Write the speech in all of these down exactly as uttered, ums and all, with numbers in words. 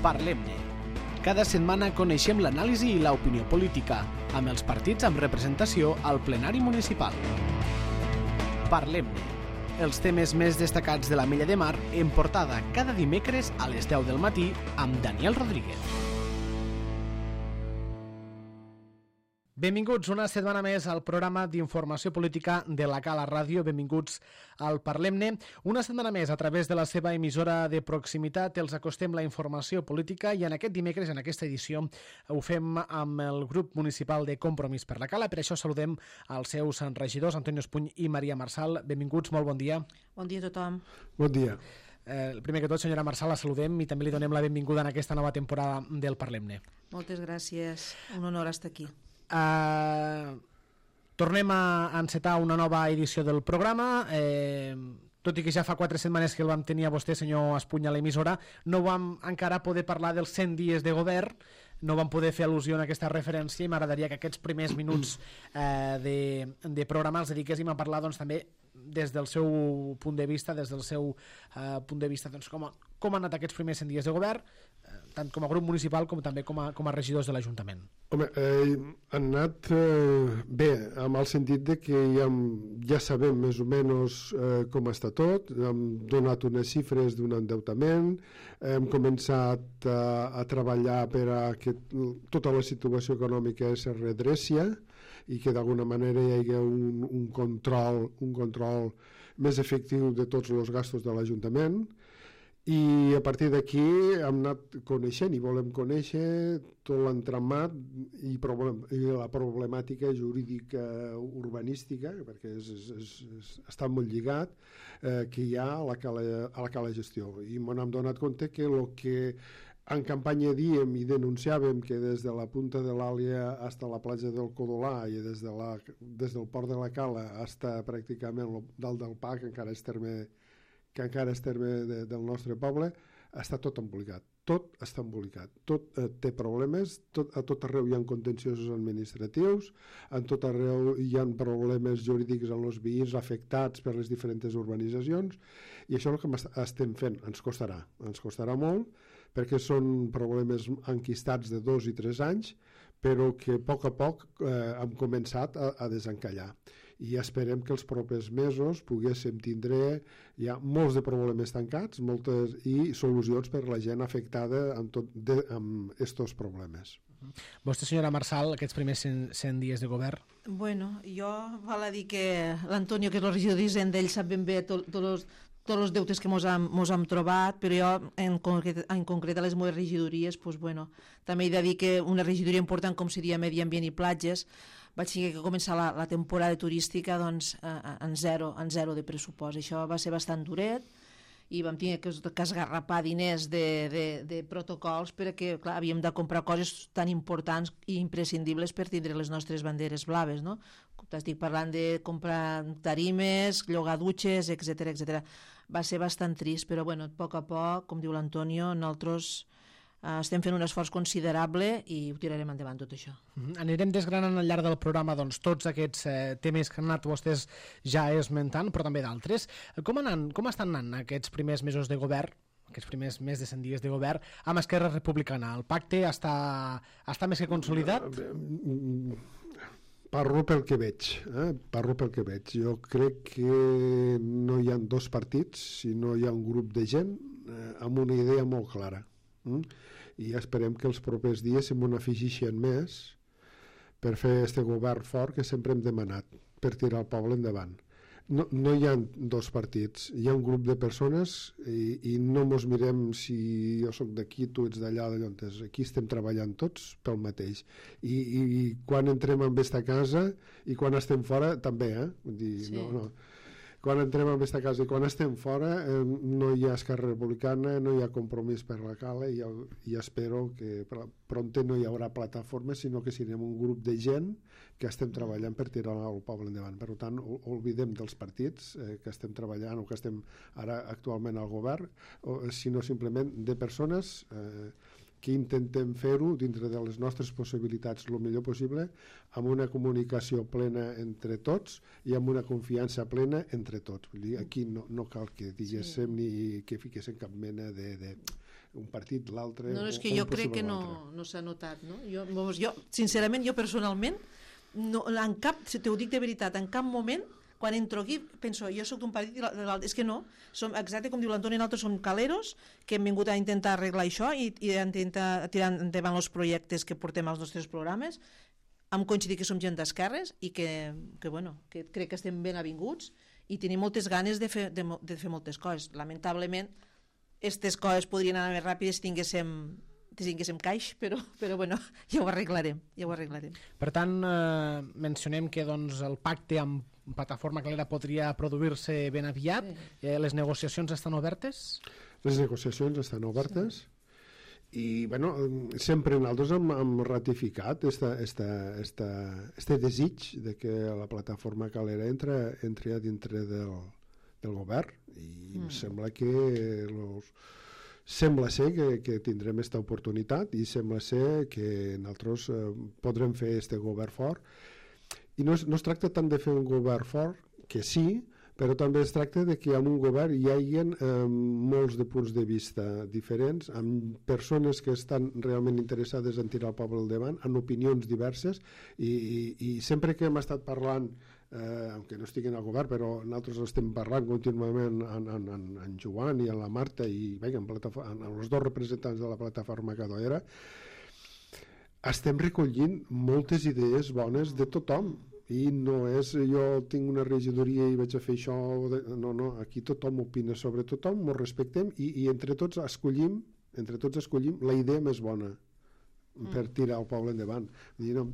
Parlem-ne. Cada setmana coneixem l'anàlisi i l'opinió política, amb els partits amb representació al plenari municipal. Parlem-ne. Els temes més destacats de la Mella de Mar en portada cada dimecres a les deu del matí amb Daniel Rodríguez. Benvinguts una setmana més al programa d'informació política de la Cala Ràdio. Benvinguts al Parlem-ne. Una setmana més a través de la seva emissora de proximitat els acostem la informació política i en aquest dimecres, en aquesta edició, ho fem amb el grup municipal de Compromís per la Cala. Per això saludem als seus regidors, Antonio Espuny i Maria Marsal. Benvinguts, molt bon dia. Bon dia a tothom. Bon dia. Eh, primer que tot, senyora Marsal, la saludem i també li donem la benvinguda en aquesta nova temporada del Parlem-ne. Moltes gràcies. Un honor estar aquí. Uh, tornem a encetar una nova edició del programa. Eh, tot i que ja fa quatre setmanes que el vam tenir a vostè, senyor Espuny, a l'emissora, no vam encara poder parlar dels cent dies de govern, no vam poder fer al·lusió en aquesta referència i m'agradaria que aquests primers minuts eh, de, de programa els dediquéssim a parlar doncs, també des del seu punt de vista, des del seu eh, punt de vista, doncs, com, a, com han anat aquests primers cent dies de govern, eh, tant com a grup municipal com també com a, com a regidors de l'Ajuntament. Home, eh, han anat eh, bé, amb el sentit de que ja, ja sabem més o menys eh, com està tot, hem donat unes xifres d'un endeutament, hem començat a, a treballar per a que tota la situació econòmica es redrecia i que d'alguna manera hi hagi un, un control un control més efectiu de tots els gastos de l'Ajuntament, i a partir d'aquí hem anat coneixent i volem conèixer tot l'entramat i, problem, i la problemàtica jurídica urbanística, perquè és, és, és, és, està molt lligat, eh, que hi ha a la cala, a la cala gestió, i m'hem donat compte que el que en campanya diem i denunciàvem, que des de la punta de l'Àlia fins a la platja del Codolà i des, de la, des del port de la Cala fins a pràcticament dalt del P A, que encara és terme, que encara és terme de, del nostre poble, està tot embolicat. Tot està embolicat. Tot eh, té problemes, tot, a tot arreu hi ha contenciosos administratius, en tot arreu hi ha problemes jurídics en els veïns afectats per les diferents urbanitzacions, i això és el que estem fent. Ens costarà, ens costarà molt, perquè són problemes enquistats de dos i tres anys, però que a poc a poc eh, hem començat a, a desencallar. I esperem que els propers mesos poguéssim tindre ja molts de problemes tancats, moltes, i solucions per a la gent afectada amb, tot de, amb estos problemes. Vostè, senyora Marsal, aquests primers cent dies de govern? Bueno, jo val a dir que l'Antonio, que és el regidor d'Hisenda, ell sap ben bé tots els tots els deutes que mos hem, mos hem trobat, però jo en concret, en concret a les meves regidories, pues, bueno, també he de dir que una regidoria important com seria Medi Ambient i Platges, vaig tenir que començar la, la temporada turística doncs, en, zero, en zero de pressupost. Això va ser bastant duret i vam tenir que, que esgarrapar diners de, de, de protocols perquè, clar, havíem de comprar coses tan importants i imprescindibles per tindre les nostres banderes blaves, no? Estic parlant de comprar tarimes, llogar dutxes, etcètera, etcètera. Va ser bastant trist, però bueno, a poc a poc, com diu l'Antonio, nosaltres eh, estem fent un esforç considerable i ho tirarem endavant tot això. Mm-hmm. Anirem desgranant al llarg del programa doncs, tots aquests eh, temes que han anat vostès ja esmentant, però també d'altres. Com, anan, com estan anant aquests primers mesos de govern, aquests primers més de cent dies de govern, amb Esquerra Republicana? El pacte està, està més que consolidat? Parlo pel que veig, eh? Parlo pel que veig. Jo crec que no hi ha dos partits, sinó hi ha un grup de gent eh, amb una idea molt clara. Mm? I esperem que els propers dies se'n afegeixen més per fer este govern fort que sempre hem demanat, per tirar el poble endavant. No, no hi ha dos partits, hi ha un grup de persones i, i no mos mirem si jo sóc d'aquí, tu ets d'allà, d'allò. Aquí estem treballant tots pel mateix. I, i, i quan entrem en aquesta casa i quan estem fora també, eh? Vull dir, sí. no, no. Quan entrem en aquesta casa i quan estem fora eh, no hi ha Esquerra Republicana, no hi ha Compromís per la Cala, i, i espero que prompte no hi haurà plataformes, sinó que serem un grup de gent que estem treballant per tirar el poble endavant. Per tant, oblidem dels partits eh, que estem treballant o que estem ara actualment al govern, o, sinó simplement de persones eh, que intentem fer-ho dintre de les nostres possibilitats el millor possible, amb una comunicació plena entre tots i amb una confiança plena entre tots. Vull dir, aquí no, no cal que diguéssim sí. ni que fiquéssim cap mena de, de, un partit, l'altre... No, no, és o, que o jo crec que no, no s'ha notat, no? Jo, vamos, jo, sincerament, jo personalment, no, en cap, si t'ho dic de veritat, en cap moment, quan entro aquí, penso, jo sóc d'un partit i l'altre, és que no, som exacte com diu l'Antoni, nosaltres som caleros, que hem vingut a intentar arreglar això i, i a intentar tirar endavant els projectes que portem als nostres programes. Hem coincidit que som gent d'esquerres i que, que, bueno, que crec que estem ben avinguts i tenim moltes ganes de fer, de, de fer moltes coses. Lamentablement, aquestes coses podrien anar més ràpides si tinguéssim, si tinguéssim caix, però, però bueno, ja ho arreglarem, ja ho arreglarem. Per tant, eh, mencionem que doncs, el pacte amb Plataforma Calera podria produir-se ben aviat. Sí. Eh, les negociacions estan obertes? Les negociacions estan obertes. Sí. I bueno, sempre nosaltres hem, hem ratificat esta, esta, esta, este desig de que la Plataforma Calera entra, entri a dintre del, del govern i mm. sembla que los, sembla ser que, que tindrem aquesta oportunitat i sembla ser que nosaltres eh, podrem fer este govern fort. I no es, no es tracta tant de fer un govern fort, que sí, però també es tracta de que en un govern hi hagi eh, molts de punts de vista diferents, amb persones que estan realment interessades en tirar el poble al davant, amb opinions diverses, i, i, i sempre que hem estat parlant, eh, aunque no estiguin al govern, però nosaltres estem parlant contínuament en, en, en, en Joan i en la Marta i bé, en, en els dos representants de la Plataforma Calera, estem recollint moltes idees bones de tothom. I no és jo tinc una regidoria i vaig a fer això, no, no, aquí tothom opina sobre tothom, ens respectem i, i entre tots escollim entre tots escollim la idea més bona mm. per tirar el poble endavant. Dir, no,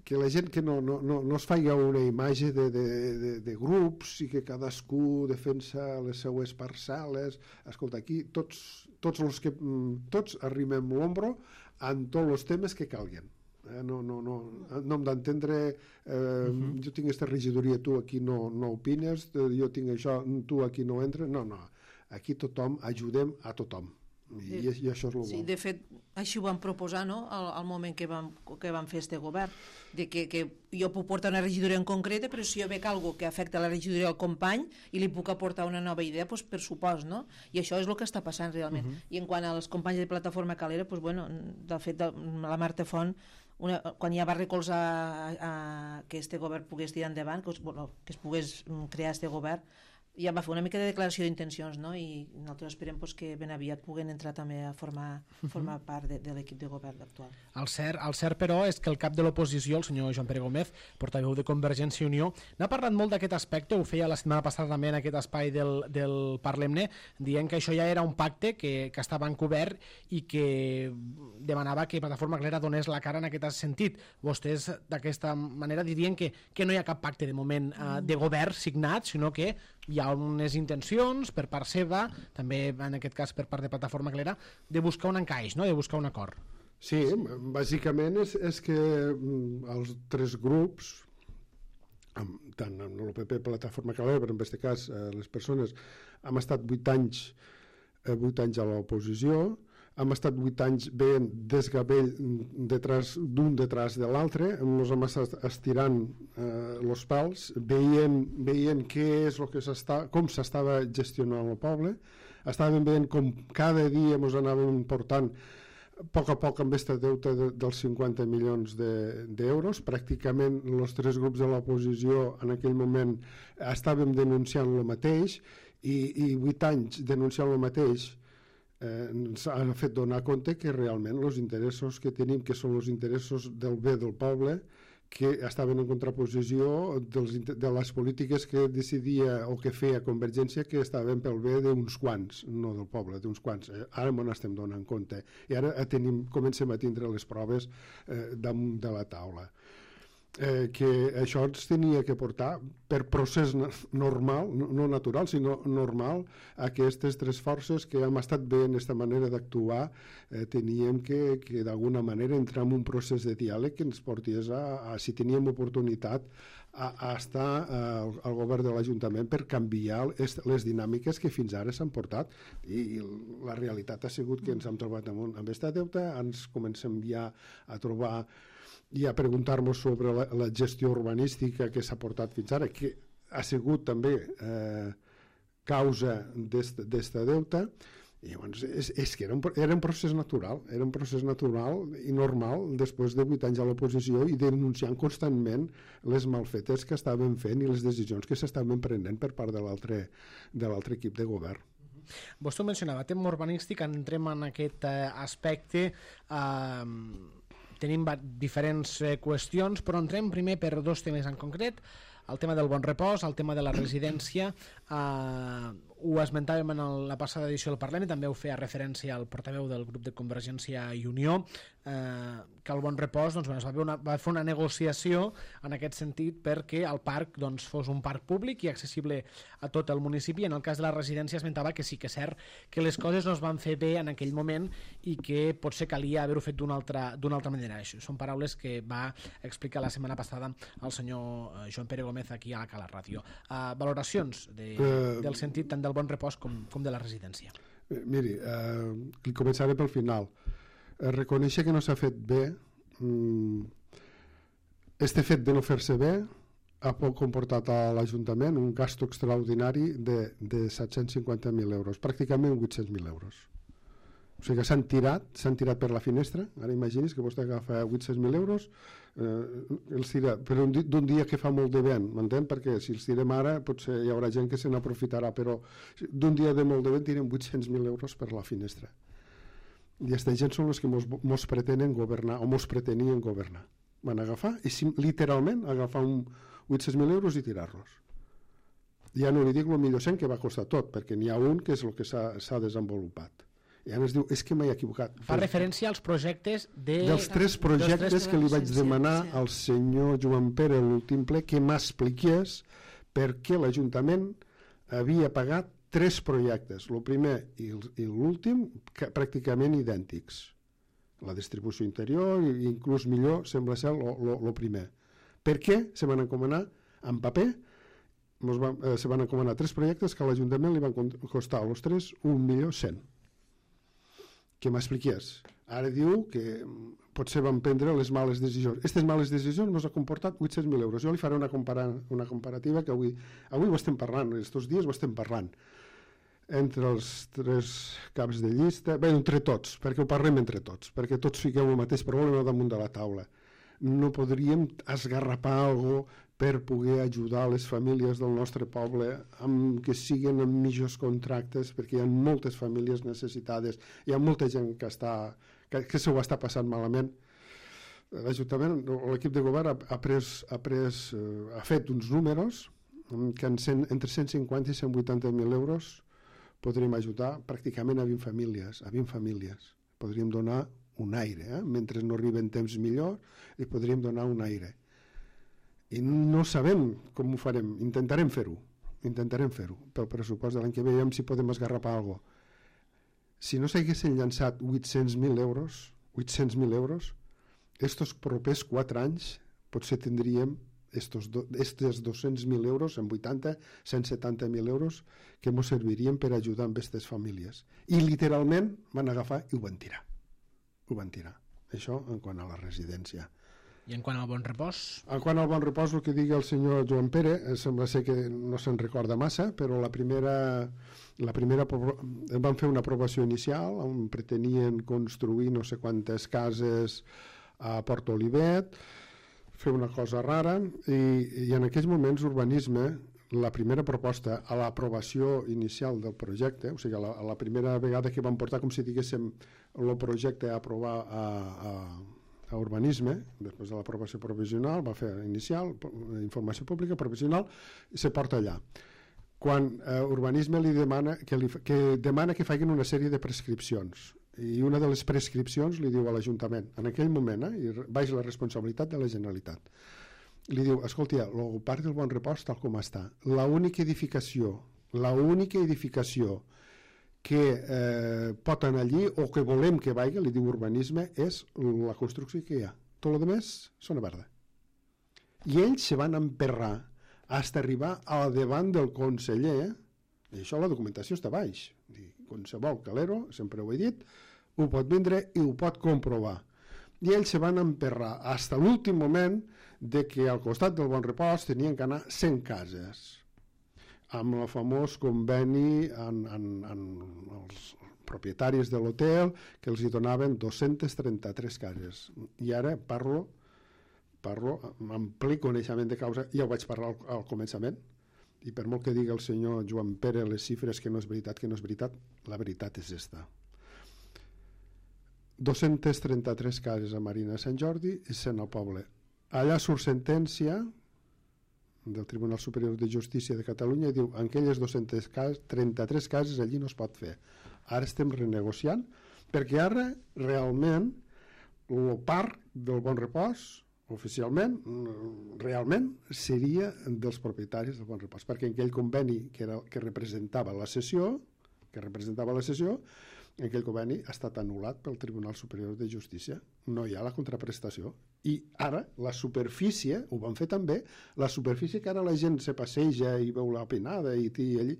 que la gent que no, no, no, no es faci una imatge de, de, de, de grups i que cadascú defensa les seues parcel·les. Escolta, aquí tots, tots, els que, tots arrimem l'ombro en tots els temes que calguen. Eh, no, no, no, no hem d'entendre eh, uh-huh. jo tinc aquesta regidoria, tu aquí no, no opines, jo tinc això, tu aquí no entres, no, no, aquí tothom ajudem a tothom i, de, i això és el sí, bo. De fet, així ho vam proposar, no?, al, al moment que vam, que vam fer este govern, de que, que jo puc portar una regidoria en concreta, però si jo veig alguna que afecta la regidoria al company i li puc aportar una nova idea, doncs per supost, no? I això és el que està passant realment. Uh-huh. I en quant als companys de Plataforma Calera, doncs, bueno, de fet, la Marta Font, una, quan ja va recolzar a, a, que este govern pogués tirar endavant, que, bueno, que es pogués crear este govern, ja va fer una mica de declaració d'intencions, no? I nosaltres esperem pues, que ben aviat puguen entrar també a formar, formar part de, de l'equip de govern actual. El cert, el cert, però, és que el cap de l'oposició, el senyor Joan Pere Gómez, portaveu de Convergència i Unió, n'ha parlat molt d'aquest aspecte, ho feia la setmana passada també en aquest espai del, del Parlem-ne, dient que això ja era un pacte que, que estava encobert i que demanava que Plataforma Calera donés la cara en aquest sentit. Vostès d'aquesta manera dirien que, que no hi ha cap pacte de moment eh, de govern signat, sinó que hi ha unes intencions per part seva, també en aquest cas per part de Plataforma Calera, de buscar un encaix, no? De buscar un acord. Sí, bàsicament és, és que els tres grups, tant en el P P, Plataforma Calera, però en aquest cas les persones, hem estat vuit anys, vuit anys a l'oposició, hem estat vuit anys veient desgavell detrás, d'un detrás de l'altre, ens hem estat estirant els eh, pals, veient, veient què és el que s'està, com s'estava gestionant el poble, estàvem veient com cada dia ens anàvem portant a poc a poc amb aquest deute de, dels cinquanta milions d'euros. De, pràcticament els tres grups de l'oposició en aquell moment estàvem denunciant el mateix i, i vuit anys denunciant el mateix Eh, ens ha fet donar compte que realment els interessos que tenim, que són els interessos del bé del poble, que estaven en contraposició dels, de les polítiques que decidia o que feia Convergència, que estaven pel bé d'uns quants, no del poble, d'uns quants. Eh, ara m'ho estem donant compte. I ara tenim, comencem a tindre les proves eh, damunt de la taula. Eh, que això ens tenia que portar per procés normal, no natural, sinó normal, a aquestes tres forces que hem estat veient aquesta manera d'actuar, eh, teníem que, que d'alguna manera entrar en un procés de diàleg que ens portés a, a si teníem oportunitat, a, a estar al, al govern de l'Ajuntament per canviar les, les dinàmiques que fins ara s'han portat. I, i la realitat ha sigut que ens hem trobat amb, un, amb aquesta deuta, ens comencem ja a trobar i a preguntar-nos sobre la, la gestió urbanística que s'ha portat fins ara, que ha sigut també eh, causa d'esta deuta, I llavors, és, és que era un, era un procés natural, era un procés natural i normal després de vuit anys a l'oposició i denunciant constantment les malfetes que estaven fent i les decisions que s'estaven prenent per part de l'altre de l'altre equip de govern. Vostè ho mencionava, tema urbanístic, entrem en aquest eh, aspecte, eh, tenim diferents eh, qüestions, però entrem primer per dos temes en concret, el tema del bon repòs, el tema de la residència, eh, ho esmentàvem en el, la passada edició del Parlament, també ho feia referència al portaveu del grup de Convergència i Unió, eh, que el bon repòs doncs, bueno, es va, una, va fer una negociació en aquest sentit perquè el parc doncs, fos un parc públic i accessible a tot el municipi. En el cas de la residència esmentava que sí que és cert que les coses no es van fer bé en aquell moment i que potser calia haver-ho fet d'una altra, d'una altra manera. Això són paraules que va explicar la setmana passada el senyor Joan Pere Gómez aquí a la Cala Ràdio. Uh, valoracions de, uh, del sentit tant del bon repòs com, com de la residència. Eh, miri, eh, començaré pel final. Eh, reconèixer que no s'ha fet bé, mm, este fet de no fer-se bé ha comportat a l'Ajuntament un gasto extraordinari de, de set-cents cinquanta mil euros, pràcticament vuit-cents mil euros. O sigui que s'han tirat, s'han tirat per la finestra. Ara imagini's que vostè agafa vuit-cents mil euros, eh, els tira, però d'un dia que fa molt de vent, m'entén? Perquè si els tirem ara potser hi haurà gent que se n'aprofitarà, però d'un dia de molt de vent tirem vuit-cents mil euros per la finestra. I aquesta gent són els que mos, mos pretenen governar, o mos pretenien governar. Van agafar, i sim, literalment agafar un vuit-cents mil euros i tirar-los. Ja no li dic el millor cent que va costar tot, perquè n'hi ha un que és el que s'ha desenvolupat. I ara es diu, és que m'he equivocat. Fa referència als projectes de... Dels tres projectes tres que li vaig demanar sí. al senyor Joan Pere a l'últim ple que m'expliqués per què l'Ajuntament havia pagat tres projectes, el primer i l'últim pràcticament idèntics. La distribució interior i inclús millor sembla ser el primer. Per què se van encomanar en paper? Van, eh, se van encomanar tres projectes que a l'Ajuntament li van costar els tres un milió cent. Que m'expliqués. Ara diu que potser van prendre les males decisions. Aquestes males decisions ens ha comportat vuit-cents mil euros. Jo li faré una, compara una comparativa que avui, avui ho estem parlant, aquests dies ho estem parlant. Entre els tres caps de llista, bé, entre tots, perquè ho parlem entre tots, perquè tots fiquem el mateix problema damunt de la taula. No podríem esgarrapar alguna cosa per poder ajudar les famílies del nostre poble amb que siguin amb millors contractes, perquè hi ha moltes famílies necessitades, hi ha molta gent que, està, que, que se ho està passant malament. L'Ajuntament, l'equip de govern ha, ha, pres, ha, pres, ha fet uns números que en cent, entre cent cinquanta i cent vuitanta mil euros podríem ajudar pràcticament a vint famílies, a vint famílies. Podríem donar un aire, eh? Mentre no arriben temps millor, li podríem donar un aire. I no sabem com ho farem, intentarem fer-ho, intentarem fer-ho, pel pressupost de l'any que ve, veiem si podem esgarrapar alguna cosa. Si no s'haguessin llançat vuit-cents mil euros, vuit-cents mil euros, estos propers quatre anys potser tindríem estos, do, estos dos-cents mil euros en vuitanta, cent setanta mil euros que ens servirien per ajudar amb aquestes famílies. I literalment van agafar i ho van tirar. Ho van tirar. Això en quant a la residència. I en quant al bon repòs? En quant al bon repòs, el que digui el senyor Joan Pere, sembla ser que no se'n recorda massa, però la primera, la primera van fer una aprovació inicial on pretenien construir no sé quantes cases a Port Olivet, fer una cosa rara, i, i en aquells moments urbanisme, la primera proposta a l'aprovació inicial del projecte, o sigui, la, la primera vegada que van portar, com si diguéssim, el projecte a aprovar a, a a urbanisme, després de l'aprovació provisional, va fer inicial, informació pública, provisional, i se porta allà. Quan eh, urbanisme li demana que, li, que demana que facin una sèrie de prescripcions, i una de les prescripcions li diu a l'Ajuntament, en aquell moment, eh, i baix la responsabilitat de la Generalitat, li diu, escolta, el parc del Bon Repòs tal com està, l'única edificació, l'única edificació que eh, pot anar allí o que volem que vagi, li diu urbanisme, és la construcció que hi ha. Tot el més zona verda. I ells se van emperrar fins a arribar a davant del conseller, i això la documentació està baix. Qualsevol calero, sempre ho he dit, ho pot vindre i ho pot comprovar. I ells se van emperrar fins a l'últim moment de que al costat del Bon Repòs tenien que anar cent cases, amb el famós conveni en, en, en els propietaris de l'hotel que els hi donaven dos-centes trenta-tres cases. I ara parlo, parlo amb ple coneixement de causa, ja ho vaig parlar al, al començament, i per molt que digui el senyor Joan Pere les xifres que no és veritat, que no és veritat, la veritat és esta. dos-centes trenta-tres cases a Marina de Sant Jordi i cent al poble. Allà surt sentència del Tribunal Superior de Justícia de Catalunya i diu en aquelles dos-centes trenta-tres cases allí no es pot fer. Ara estem renegociant perquè ara realment el parc del Bon Repòs oficialment realment seria dels propietaris del Bon Repòs, perquè en aquell conveni que, era, que representava la cessió que representava la cessió aquell conveni ha estat anul·lat pel Tribunal Superior de Justícia. No hi ha la contraprestació. I ara la superfície, ho van fer també, la superfície que ara la gent se passeja i veu la pinada i tira allí,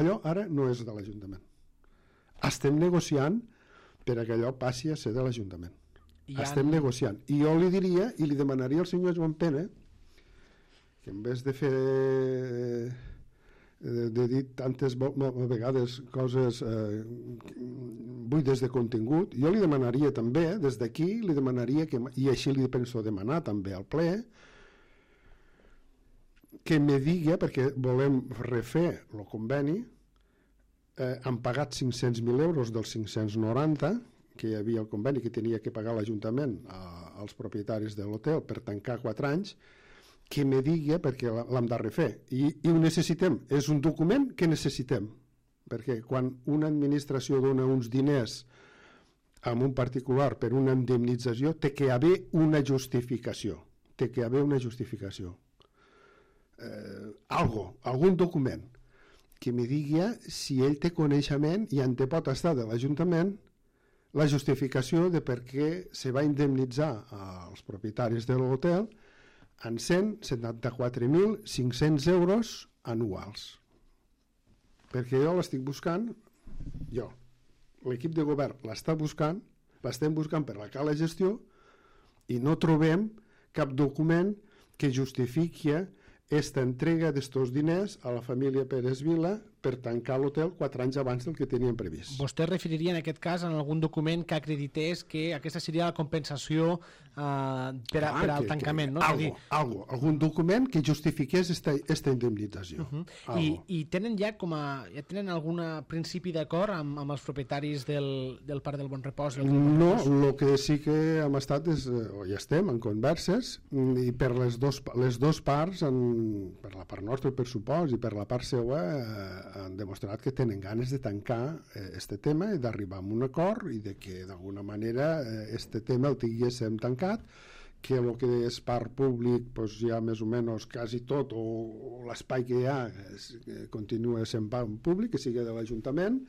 allò ara no és de l'Ajuntament. Estem negociant per que allò passi a ser de l'Ajuntament. Han... Estem negociant. I jo li diria, i li demanaria al senyor Joan Pere, que en vez de fer... de dir tantes vegades coses eh, buides de contingut, jo li demanaria també, des d'aquí li demanaria, que, i així li penso demanar també al ple, que me digui, perquè volem refer el conveni, eh, han pagat cinc-cents mil euros dels cinc-cents noranta que hi havia el conveni que tenia que pagar l'Ajuntament als propietaris de l'hotel per tancar quatre anys, que me digui, perquè l'hem de refer, i, i ho necessitem, és un document que necessitem, perquè quan una administració dona uns diners a un particular per una indemnització, té que haver una justificació, té que haver una justificació. Eh, algo, algun document, que me digui si ell té coneixement i en té pot estar de l'Ajuntament la justificació de per què se va indemnitzar als propietaris de l'hotel en cent setanta-quatre mil cinc-cents euros anuals. Perquè jo l'estic buscant, jo, l'equip de govern l'està buscant, l'estem buscant per la cala gestió i no trobem cap document que justifiqui esta entrega d'estos diners a la família Pérez Vila per tancar l'hotel quatre anys abans del que tenien previst. Vostè referiria en aquest cas en algun document que acredités que aquesta seria la compensació eh, per, a, ah, per al que, tancament, que, no? Algo, dir... algo, algun document que justifiqués esta, esta indemnització. Uh -huh. I, I tenen ja com a ja tenen algun principi d'acord amb, amb els propietaris del, del Parc del Bon Repòs? Del no, el que sí que hem estat és, o ja estem en converses, i per les dos, les dos parts, en, per la part nostra per supòs i per la part seva, eh, han demostrat que tenen ganes de tancar aquest eh, tema i d'arribar a un acord i de que d'alguna manera aquest eh, tema el tinguéssim tancat, que el que és parc públic pues, ja més o menys quasi tot o, o l'espai que hi ha es, que continua sent parc públic, que sigui de l'Ajuntament,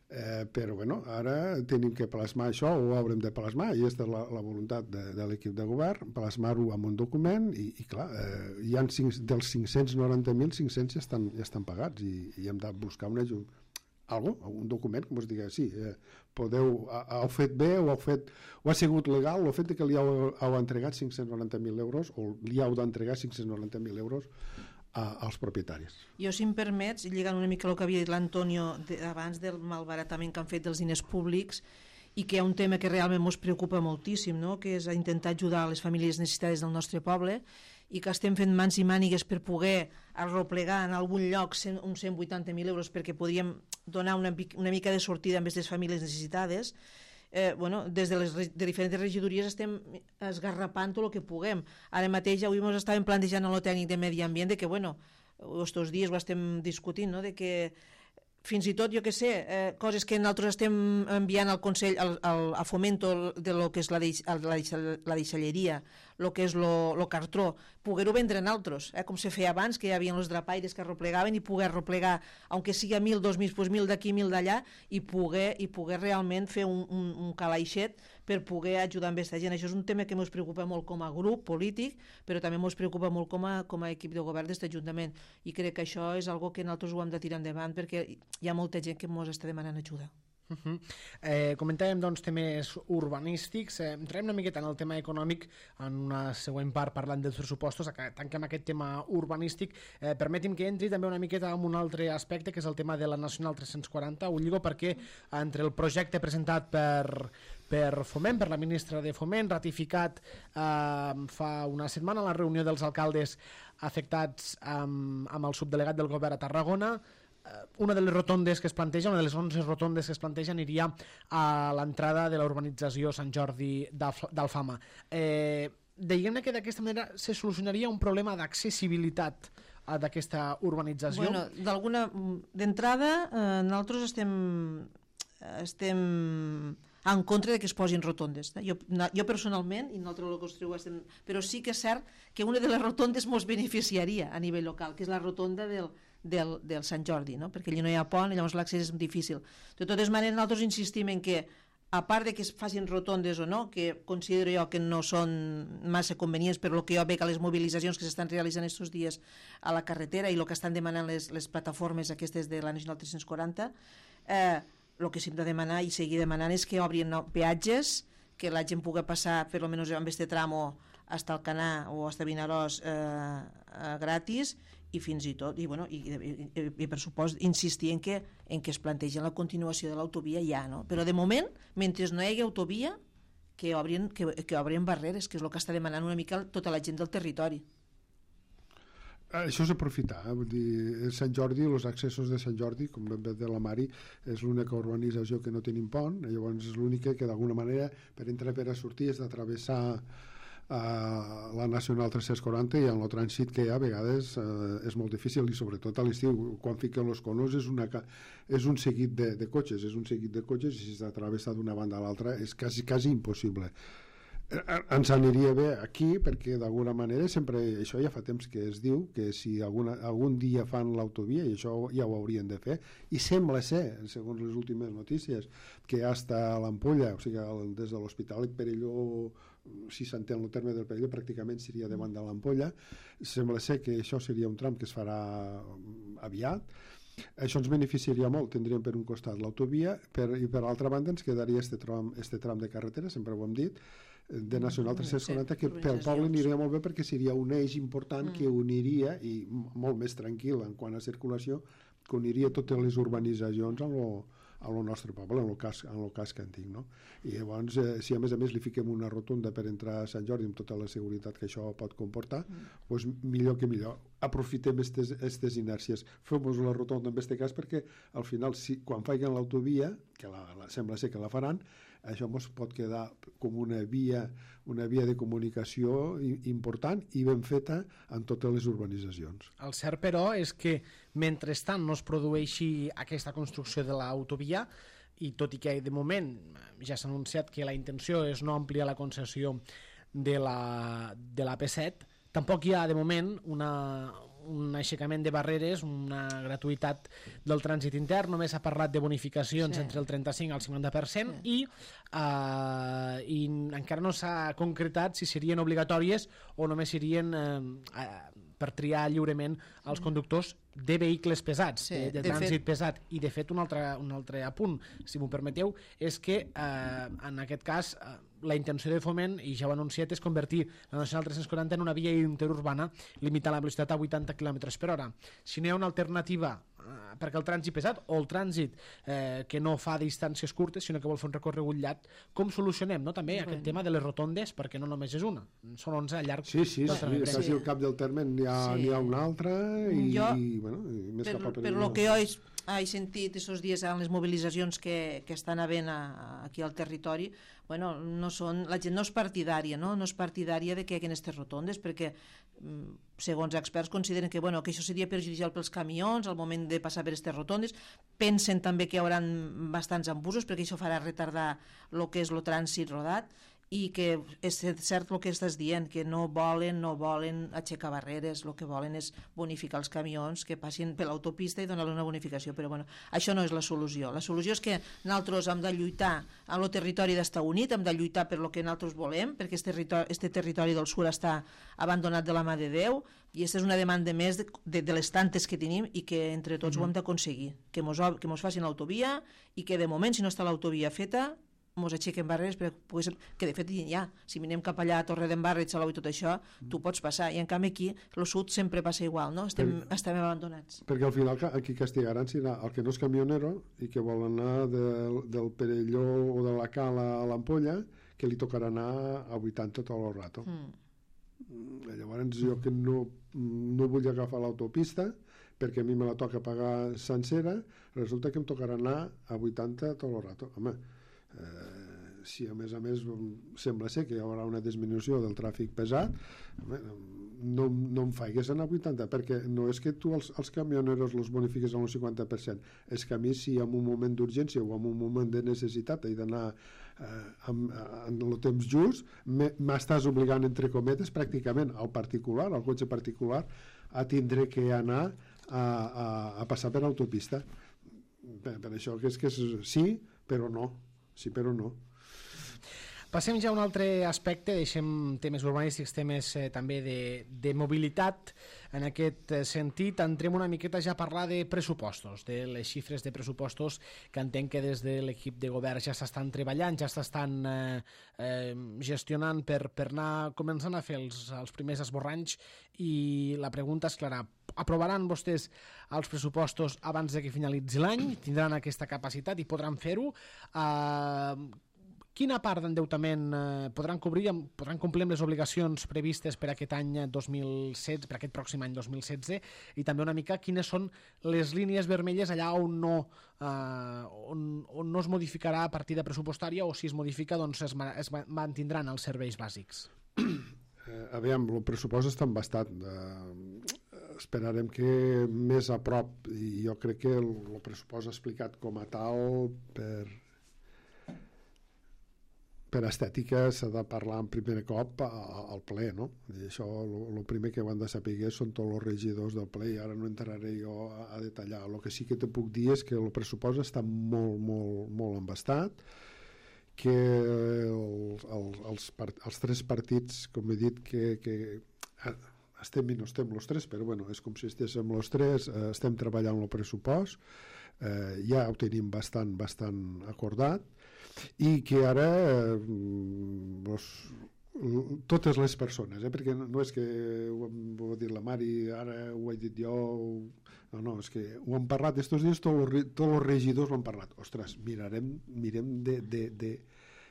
eh, però bueno, ara tenim que plasmar això, o ho haurem de plasmar, i aquesta és la, la voluntat de, de l'equip de govern, plasmar-ho en un document i, i clar, eh, hi ha cinc, dels cinc-cents noranta mil, cinc-cents ja estan, ja estan pagats i, i hem de buscar una ajuda, algo, un document que ens digui sí, eh, podeu, heu fet bé o heu fet, o ha sigut legal el fet que li heu, heu entregat cinc-cents noranta mil euros o li heu d'entregar cinc-cents noranta mil euros als propietaris. Jo, si em permets, lligant una mica el que havia dit l'Antonio abans del malbaratament que han fet dels diners públics i que hi ha un tema que realment ens preocupa moltíssim, no? Que és intentar ajudar les famílies necessitades del nostre poble i que estem fent mans i mànigues per poder arroplegar en algun lloc uns cent vuitanta mil euros perquè podríem donar una, una mica de sortida a aquestes famílies necessitades. Eh, bueno, des de les de diferents regidories estem esgarrapant tot el que puguem. Ara mateix avui ens estàvem plantejant en el tècnic de Medi Ambient de que, bueno, estos dies ho estem discutint, no? De que fins i tot, jo què sé, eh, coses que nosaltres estem enviant al Consell, al, al, a Fomento de lo que és la, deix, la, deix, la deixalleria, el que és el cartró, poder-ho vendre en altres, eh, com se feia abans, que hi havia els drapaires que arroplegaven i poder arroplegar, aunque sigui mil, dos mil, pues mil d'aquí, mil d'allà, i poder, i poder realment fer un, un, un calaixet per poder ajudar amb aquesta gent. Això és un tema que ens preocupa molt com a grup polític, però també ens preocupa molt com a, com a equip de govern d'aquest Ajuntament, i crec que això és algo que nosaltres ho hem de tirar endavant perquè hi ha molta gent que ens està demanant ajuda. Uh-huh. Eh, comentàvem doncs temes urbanístics, eh, entrarem una miqueta en el tema econòmic en una següent part parlant dels pressupostos. Tanquem aquest tema urbanístic, eh, permeti'm que entri també una miqueta en un altre aspecte, que és el tema de la Nacional tres-cents quaranta. Ho lligo perquè entre el projecte presentat per per Foment, per la ministra de Foment, ratificat eh, fa una setmana a la reunió dels alcaldes afectats amb, amb el subdelegat del govern a Tarragona, una de les rotondes que es planteja, una de les onze rotondes que es planteja aniria a l'entrada de la urbanització Sant Jordi d'Alfama. Eh, Diguem-ne que d'aquesta manera se solucionaria un problema d'accessibilitat d'aquesta urbanització? Bueno, d'alguna... D'entrada, eh, nosaltres estem, estem en contra de que es posin rotondes. Jo, jo personalment, i nosaltres el construïu estem... Però sí que és cert que una de les rotondes ens beneficiaria a nivell local, que és la rotonda del Del, del Sant Jordi, no? Perquè allà no hi ha pont i llavors l'accés és difícil. De totes maneres, nosaltres insistim en que, a part de que es facin rotondes o no, que considero jo que no són massa convenients, però el que jo veig a les mobilitzacions que s'estan realitzant aquests dies a la carretera i el que estan demanant les, les plataformes aquestes de la Nacional tres-cents quaranta, eh, el que s'hem de demanar i seguir demanant és que obrin no, peatges, que la gent pugui passar per almenys amb este tramo fins al Canà o fins a Vinaròs eh, eh, gratis, i fins i tot, i, bueno, i, i, i per supost insistir en que, en que es plantegi la continuació de l'autovia ja, no? Però de moment, mentre no hi hagi autovia, que obrin, que, que obrin barreres, que és el que està demanant una mica tota la gent del territori. Això és aprofitar, eh? Vull dir, Sant Jordi, els accessos de Sant Jordi, com ben bé de la Mari, és l'única urbanització que no tenim pont, llavors és l'única que d'alguna manera per entrar per a sortir és d'atravessar a la Nacional tres-cents quaranta, i en el trànsit que hi ha a vegades eh, és molt difícil, i sobretot a l'estiu quan fiquen els conos és, una, és un seguit de, de cotxes és un seguit de cotxes i si s'atravessa d'una banda a l'altra és quasi, quasi impossible. Ens aniria bé aquí perquè d'alguna manera sempre, això ja fa temps que es diu que si alguna, algun dia fan l'autovia, i això ja ho haurien de fer, i sembla ser, segons les últimes notícies, que hasta l'Ampolla, o sigui, des de l'Hospitalet Perelló, si s'entén el terme del Perelló, pràcticament seria davant de l'Ampolla. Sembla ser que això seria un tram que es farà aviat. Això ens beneficiaria molt, tindríem per un costat l'autovia per, i per l'altra banda ens quedaria este tram, este tram de carretera, sempre ho hem dit, de Nacional tres-cents quaranta, que pel poble aniria molt bé perquè seria un eix important que uniria, i molt més tranquil en quant a circulació, que uniria totes les urbanitzacions amb lo, a lo nostre poble, en el cas, en el casc antic, no? I llavors, eh, si a més a més li fiquem una rotunda per entrar a Sant Jordi amb tota la seguretat que això pot comportar, mm. doncs millor que millor. Aprofitem aquestes inèrcies. Fem-nos la rotonda en aquest cas perquè al final, si, quan facin l'autovia, que la, la, sembla ser que la faran, això ens pot quedar com una via, una via de comunicació important i ben feta en totes les urbanitzacions. El cert, però, és que mentrestant no es produeixi aquesta construcció de l'autovia, i tot i que de moment ja s'ha anunciat que la intenció és no ampliar la concessió de la, de la P set, tampoc hi ha de moment una, un aixecament de barreres, una gratuïtat del trànsit intern, només s'ha parlat de bonificacions sí. entre el trenta-cinc al cinquanta per cent sí. i, uh, i encara no s'ha concretat si serien obligatòries o només serien uh, per triar lliurement els conductors de vehicles pesats, sí, de, de, de trànsit fet... pesat. I de fet un altre, un altre apunt, si m'ho permeteu, és que eh, en aquest cas eh, la intenció de Foment, i ja ho ha anunciat, és convertir la Nacional tres-cents quaranta en una via interurbana limitant la velocitat a vuitanta quilòmetres per hora. Si no hi ha una alternativa eh, perquè el trànsit pesat o el trànsit eh, que no fa distàncies curtes sinó que vol fer un recorregut llarg, com solucionem no? també bueno. aquest tema de les rotondes, perquè no només és una, són onze al llarg. Sí, sí, sí, sí. quasi al cap del terme n'hi ha, sí. ha una altra i, jo, i, bueno, i més per, cap a per el que jo he, he sentit aquests dies en les mobilitzacions que, que estan havent a, aquí al territori, bueno, no són, la gent no és partidària, no? no és partidària de que hi hagi aquestes rotondes, perquè segons experts consideren que, bueno, que això seria perjudicial pels camions al moment de passar per aquestes rotondes. Pensen també que hi haurà bastants embussos perquè això farà retardar el que és el trànsit rodat i que és cert el que estàs dient, que no volen no volen aixecar barreres, el que volen és bonificar els camions que passin per l'autopista i donar-los una bonificació, però bueno, això no és la solució. La solució és que nosaltres hem de lluitar amb el territori d'estar unit, hem de lluitar per el que nosaltres volem, perquè este territori, este territori del sur està abandonat de la mà de Déu, i aquesta és una demanda més de, de, de les tantes que tenim i que entre tots mm-hmm. ho hem d'aconseguir, que mos, que mos facin l'autovia i que de moment, si no està l'autovia feta, mos aixequen barreres, perquè, que de fet ja, si mirem cap allà a Torredembarra i Salou i tot això, tu pots passar, i en canvi aquí el sud sempre passa igual, no? Estem, per, estem abandonats. Perquè al final aquí castigaran serà el que no és camionero i que vol anar del, del Perelló o de la Cala a l'Ampolla, que li tocarà anar a vuitanta tot el rato. Mm. Llavors jo que no, no vull agafar l'autopista perquè a mi me la toca pagar sencera, resulta que em tocarà anar a vuitanta tot el rato. Home, Eh, si a més a més sembla ser que hi haurà una disminució del tràfic pesat, no, no em faigues anar a vuitanta, perquè no és que tu els, els camioneros els bonifiques a un cinquanta per cent, és que a mi si en un moment d'urgència o en un moment de necessitat he d'anar eh, en el temps just, m'estàs obligant entre cometes pràcticament al particular, al cotxe particular, a tindre que anar a, a, a passar per autopista. Per, per això que és que és sí, però no. Sí, però no. Passem ja a un altre aspecte, deixem temes urbanístics, temes eh, també de, de mobilitat. En aquest sentit, entrem una miqueta ja a parlar de pressupostos, de les xifres de pressupostos que entenc que des de l'equip de govern ja s'estan treballant, ja s'estan eh, eh, gestionant per, per anar començant a fer els, els primers esborranys, i la pregunta és clara: aprovaran vostès els pressupostos abans de que finalitzi l'any? Tindran aquesta capacitat i podran fer-ho? Eh, quina part d'endeutament eh, podran cobrir, podran complir amb les obligacions previstes per aquest any dos mil setze, per aquest pròxim any dos mil setze, i també una mica quines són les línies vermelles allà on no, eh, on, on no es modificarà partida pressupostària, o si es modifica doncs es, es mantindran els serveis bàsics? Eh, aviam, el pressupost està embastat. Eh, esperarem que més a prop, i jo crec que el, el pressupost explicat com a tal per... per estètica s'ha de parlar en primer cop al ple, no? I això, el primer que ho han de saber són tots els regidors del ple, i ara no entraré jo a, a detallar. El que sí que te puc dir és que el pressupost està molt, molt, molt embastat, que el, el, els, part, els tres partits, com he dit, que, que estem i no estem els tres, però bueno, és com si estéssim els tres, eh, estem treballant el pressupost, eh, ja ho tenim bastant, bastant acordat, i que ara eh, los, totes les persones, eh, perquè no és que ho, ho ha dit la Mari, ara ho he dit jo, no, no, és que ho hem parlat estos dies, tots els, tots els regidors ho han parlat. Ostres, mirarem, mirem de, de, de,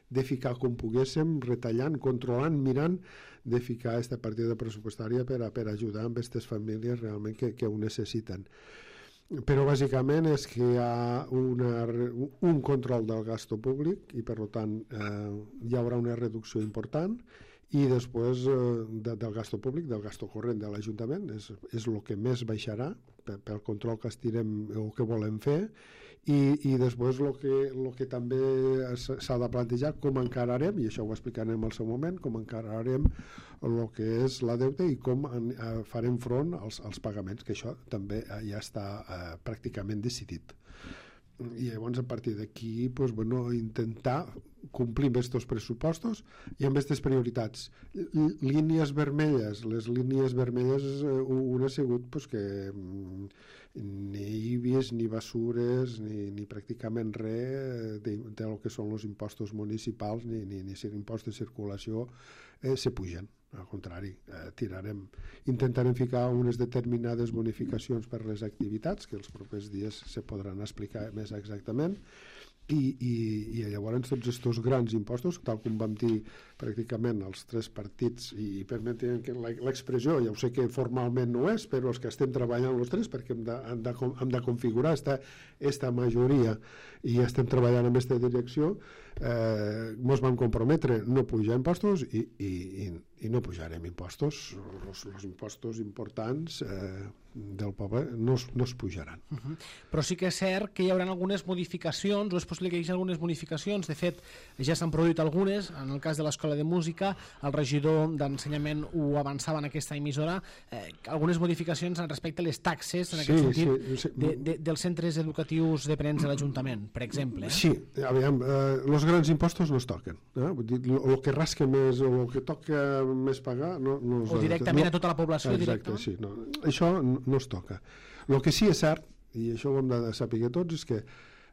de ficar com poguéssim, retallant, controlant, mirant, de ficar aquesta partida pressupostària per, a, per ajudar amb aquestes famílies realment que, que ho necessiten. Però bàsicament és que hi ha una, un control del gasto públic i per tant eh, hi haurà una reducció important, i després eh, de, del gasto públic, del gasto corrent de l'Ajuntament, és, és el que més baixarà pel, pel control que estirem o que volem fer, i, i després el que, el que també s'ha de plantejar com encararem, i això ho explicarem al seu moment, com encararem el que és la deuta i com en, eh, farem front als, als pagaments, que això també eh, ja està eh, pràcticament decidit. I llavors a partir d'aquí pues, bueno, intentar complir amb aquests pressupostos i amb aquestes prioritats. L línies vermelles, les línies vermelles un ha sigut pues, que ni I B I S, ni basures, ni, ni pràcticament res de, de lo que són els impostos municipals, ni, ni, ni impost de circulació eh, se pugen. Al contrari, eh, tirarem, intentarem ficar unes determinades bonificacions per les activitats, que els propers dies se podran explicar més exactament, i, i, i llavors tots aquests grans impostos, tal com vam dir pràcticament els tres partits, i permetin l'expressió, ja ho sé que formalment no és, però els que estem treballant els tres, perquè hem de, hem de, hem de configurar esta, esta majoria, i estem treballant en aquesta direcció, eh, ens vam comprometre no pujar impostos i, i, i i no pujarem impostos. Els impostos importants eh, del poble no es, no es pujaran. Uh -huh. Però sí que és cert que hi haurà algunes modificacions, o és possible que hi hagi algunes modificacions. De fet, ja s'han produït algunes. En el cas de l'Escola de Música, el regidor d'Ensenyament ho avançava en aquesta emissora, eh, algunes modificacions respecte a les taxes, en aquest sí, sentit, sí, sí. De, de, dels centres educatius dependents de l'Ajuntament, per exemple. Eh? Sí, aviam, eh, els grans impostos no es toquen. Eh? Vull dir, el que rasca més o el que toca més pagar... No, no o directament no, a tota la població. exacte, sí. No, això no, no es toca. El que sí és cert, i això ho hem de saber tots, és que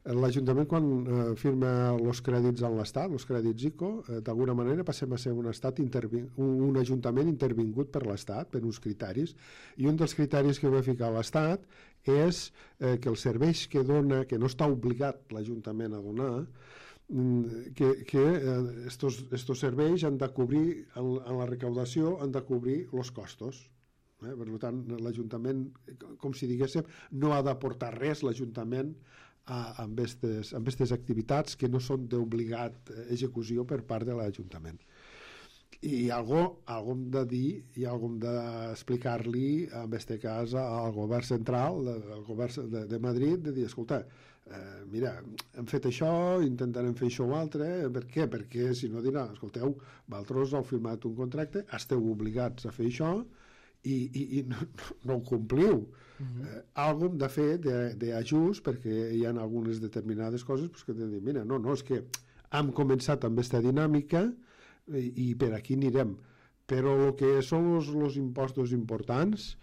l'Ajuntament, quan eh, firma els crèdits en l'Estat, els crèdits ICO, eh, d'alguna manera passem a ser un, estat un, un Ajuntament intervingut per l'Estat, per uns criteris, i un dels criteris que va ficar l'Estat és eh, que els serveis que dona, que no està obligat l'Ajuntament a donar, que, que eh, estos, estos serveis han de cobrir, en, en la recaudació, han de cobrir els costos. Eh? Per tant, l'Ajuntament, com si diguéssim, no ha d'aportar res l'Ajuntament a, amb aquestes activitats que no són d'obligat execució per part de l'Ajuntament. I algo, algo hem de dir i algo hem d'explicar-li, en aquest cas, al govern central, al govern de, de Madrid, de dir, escolta, eh, mira, hem fet això, intentarem fer això o altre, per què? Perquè si no dirà, escolteu, vosaltres heu firmat un contracte, esteu obligats a fer això i, i, i no, no ho compliu. Uh-huh. eh, algo hem de fer d'ajust, perquè hi ha algunes determinades coses pues, que hem de dir, mira, no, no, és que hem començat amb aquesta dinàmica i per aquí anirem, però el que són els impostos importants,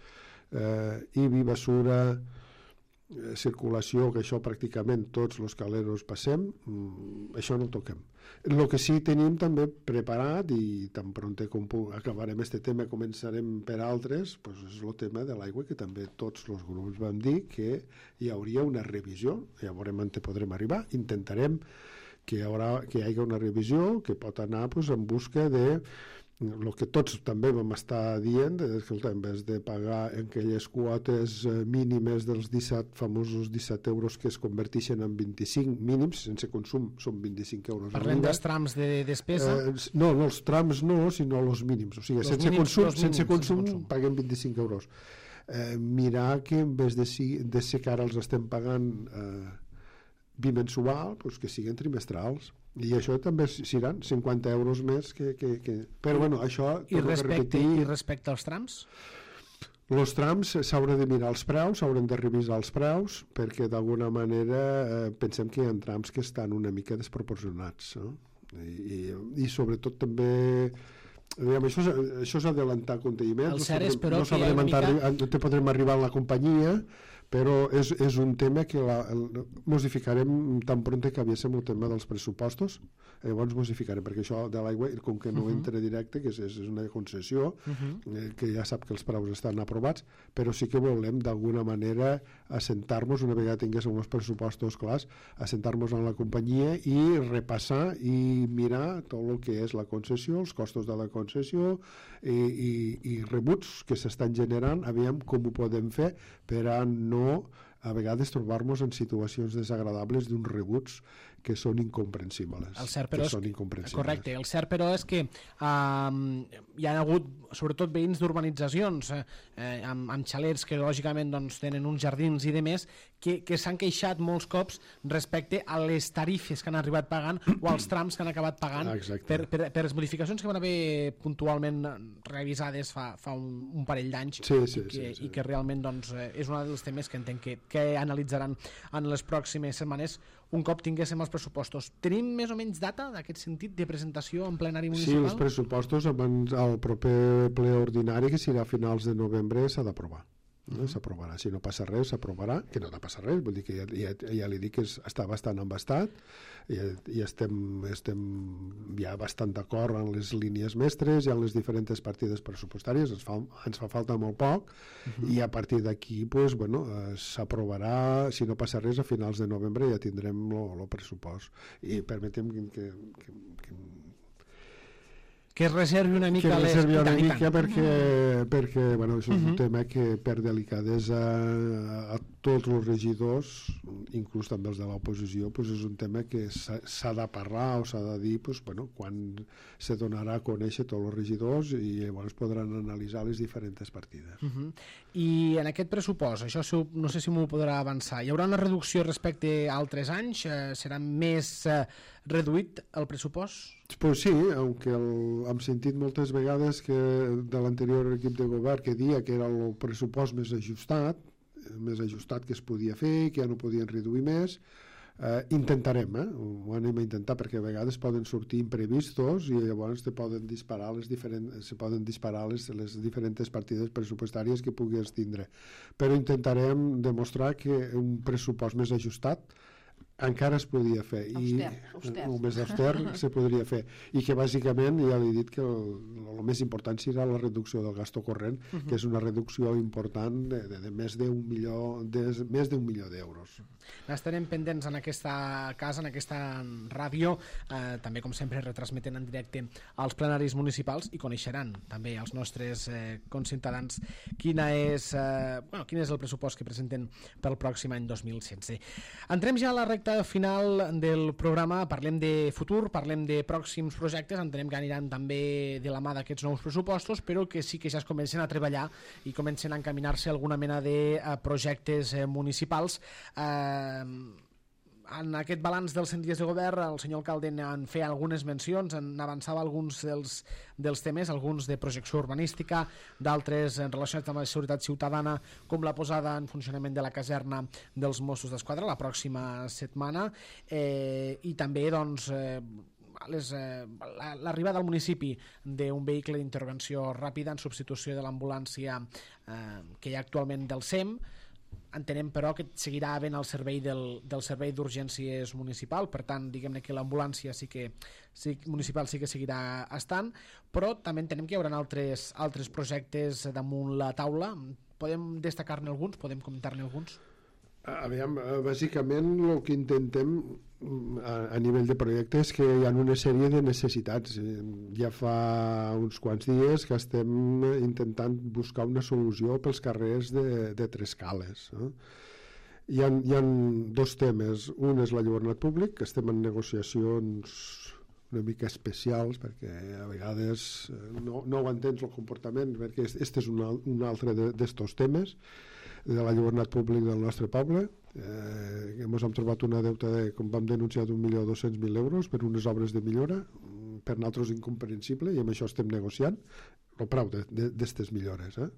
eh, I B I, basura, eh, circulació, que això pràcticament tots els caleros passem, mm, això no ho toquem. El que sí tenim també preparat, i tan pront com acabarem aquest tema començarem per altres, pues és el tema de l'aigua, que també tots els grups vam dir que hi hauria una revisió, ja veurem on podrem arribar, intentarem que hi, haurà, que hi hagi una revisió que pot anar pues, en busca de el que tots també vam estar dient, escolta, en vez de pagar en aquelles quotes mínimes dels disset, famosos disset euros que es converteixen en vint-i-cinc mínims, sense consum són vint-i-cinc euros. Parlem dels trams de despesa? Eh, no, no, els trams no, sinó els mínims. O sigui, sense, mínims, consum, mínims, sense, consum, sense consum paguem vint-i-cinc euros. Eh, mirar que en vez de, si, de ser que ara els estem pagant eh, bimensual, pues que siguin trimestrals, i això també seran cinquanta euros més que... que, que... però bueno, això... I respecte, I respecte als trams? Els trams s'haurà de mirar els preus, s'hauran de revisar els preus, perquè d'alguna manera eh, pensem que hi ha trams que estan una mica desproporcionats, no? I, i, i sobretot també... Diguem, això, això és adelantar conteniment, el cert és, però, no, sabrem que mica... no te podrem arribar a la companyia, però és, és un tema que la, el, mos hi ficarem tan pront que aviéssim el tema dels pressupostos, llavors mos hi ficarem, perquè això de l'aigua, com que no uh -huh. entra directe, que és, és una concessió, uh -huh. eh, que ja sap que els preus estan aprovats, però sí que volem d'alguna manera assentar-nos, una vegada tinguéssim els pressupostos clars, assentar-nos en la companyia i repassar i mirar tot el que és la concessió, els costos de la concessió i, i, i rebuts que s'estan generant, aviam com ho podem fer per a no a vegades trobar-nos en situacions desagradables d'uns rebuts que són incomprensibles. El cert, però, que són incomprensibles. Correcte, el cert però és que um, hi ha hagut sobretot veïns d'urbanitzacions eh, amb, amb xalets que lògicament doncs, tenen uns jardins i demés que, que s'han queixat molts cops respecte a les tarifes que han arribat pagant o als trams que han acabat pagant per, per, per les modificacions que van haver puntualment revisades fa, fa un, un parell d'anys sí, sí, i, que, sí, sí. i que realment doncs, és un dels temes que entenc que, que analitzaran en les pròximes setmanes un cop tinguéssim els pressupostos. Tenim més o menys data d'aquest sentit de presentació en plenari municipal? Sí, els pressupostos abans al proper ple ordinari, que serà a finals de novembre, s'ha d'aprovar. Uh-huh. S'aprovarà. Si no passa res, s'aprovarà, que no ha de passar res, vull dir que ja, ja, ja li dic que és, està bastant embastat i, i estem, estem ja bastant d'acord en les línies mestres i en les diferents partides pressupostàries, ens fa, ens fa falta molt poc uh-huh. i a partir d'aquí pues, bueno, eh, s'aprovarà, si no passa res, a finals de novembre ja tindrem el pressupost. I permetem que, que, que que es reservi una mica que es reservi les... una I tant, mica i tant. perquè, perquè bueno, això és Uh-huh. un tema que per delicadesa a tots els regidors, inclús també els de l'oposició, pues és un tema que s'ha s'ha de parlar o s'ha de dir pues, bueno, quan se donarà a conèixer tots els regidors i llavors podran analitzar les diferents partides. Uh-huh. I en aquest pressupost, això si ho- no sé si m'ho podrà avançar, hi haurà una reducció respecte a altres anys? Eh, serà més eh, reduït el pressupost? Pues sí, aunque el, hem sentit moltes vegades que de l'anterior equip de govern que dia que era el pressupost més ajustat, més ajustat que es podia fer, que ja no podien reduir més, eh, intentarem, eh? ho anem a intentar perquè a vegades poden sortir imprevistos i llavors te poden disparar les diferents, se poden disparar les, les diferents partides pressupostàries que puguis tindre. Però intentarem demostrar que un pressupost més ajustat encara es podia fer i Auster, auster. o més auster se podria fer i que bàsicament ja li he dit que el, el més important serà la reducció del gasto corrent, uh -huh. que és una reducció important de, de, de més d'un milió de, més d'un milió d'euros. Estarem pendents en aquesta casa, en aquesta ràdio, eh, també com sempre retransmetent en directe als plenaris municipals i coneixeran també els nostres eh, conciutadans quina és, eh, bueno, quin és el pressupost que presenten pel pròxim any dos mil setze. Entrem ja a la recta final del programa, parlem de futur, parlem de pròxims projectes, entenem que aniran també de la mà d'aquests nous pressupostos, però que sí que ja es comencen a treballar i comencen a encaminar-se alguna mena de eh, projectes eh, municipals. Eh, en aquest balanç dels cent dies de govern el senyor alcalde en feia algunes mencions, en avançava alguns dels, dels temes, alguns de projecció urbanística, d'altres en relacionats amb la seguretat ciutadana, com la posada en funcionament de la caserna dels Mossos d'Esquadra la pròxima setmana, eh, i també doncs eh, les, eh, l'arribada al municipi d'un vehicle d'intervenció ràpida en substitució de l'ambulància eh, que hi ha actualment del S E M. Entenem però que seguirà havent el servei del, del servei d'urgències municipal, per tant diguem-ne que l'ambulància sí que sí, municipal sí que seguirà estant, però també entenem que hi haurà altres, altres projectes damunt la taula. Podem destacar-ne alguns? Podem comentar-ne alguns? Aviam, bàsicament el que intentem a, a nivell de projectes és que hi ha una sèrie de necessitats. Ja fa uns quants dies que estem intentant buscar una solució pels carrers de, de Trescales. No? Hi ha, hi ha dos temes. Un és l'enlluernat públic, que estem en negociacions una mica especials perquè a vegades no, no ho entens el comportament, perquè este és un, un altre d'estos temes de l'enlluernat públic del nostre poble. Eh, ens hem trobat una deuta de, com vam denunciar, d'un milió dos-cents mil euros per unes obres de millora, per nosaltres incomprensible, i amb això estem negociant el preu d'aquestes millores, eh?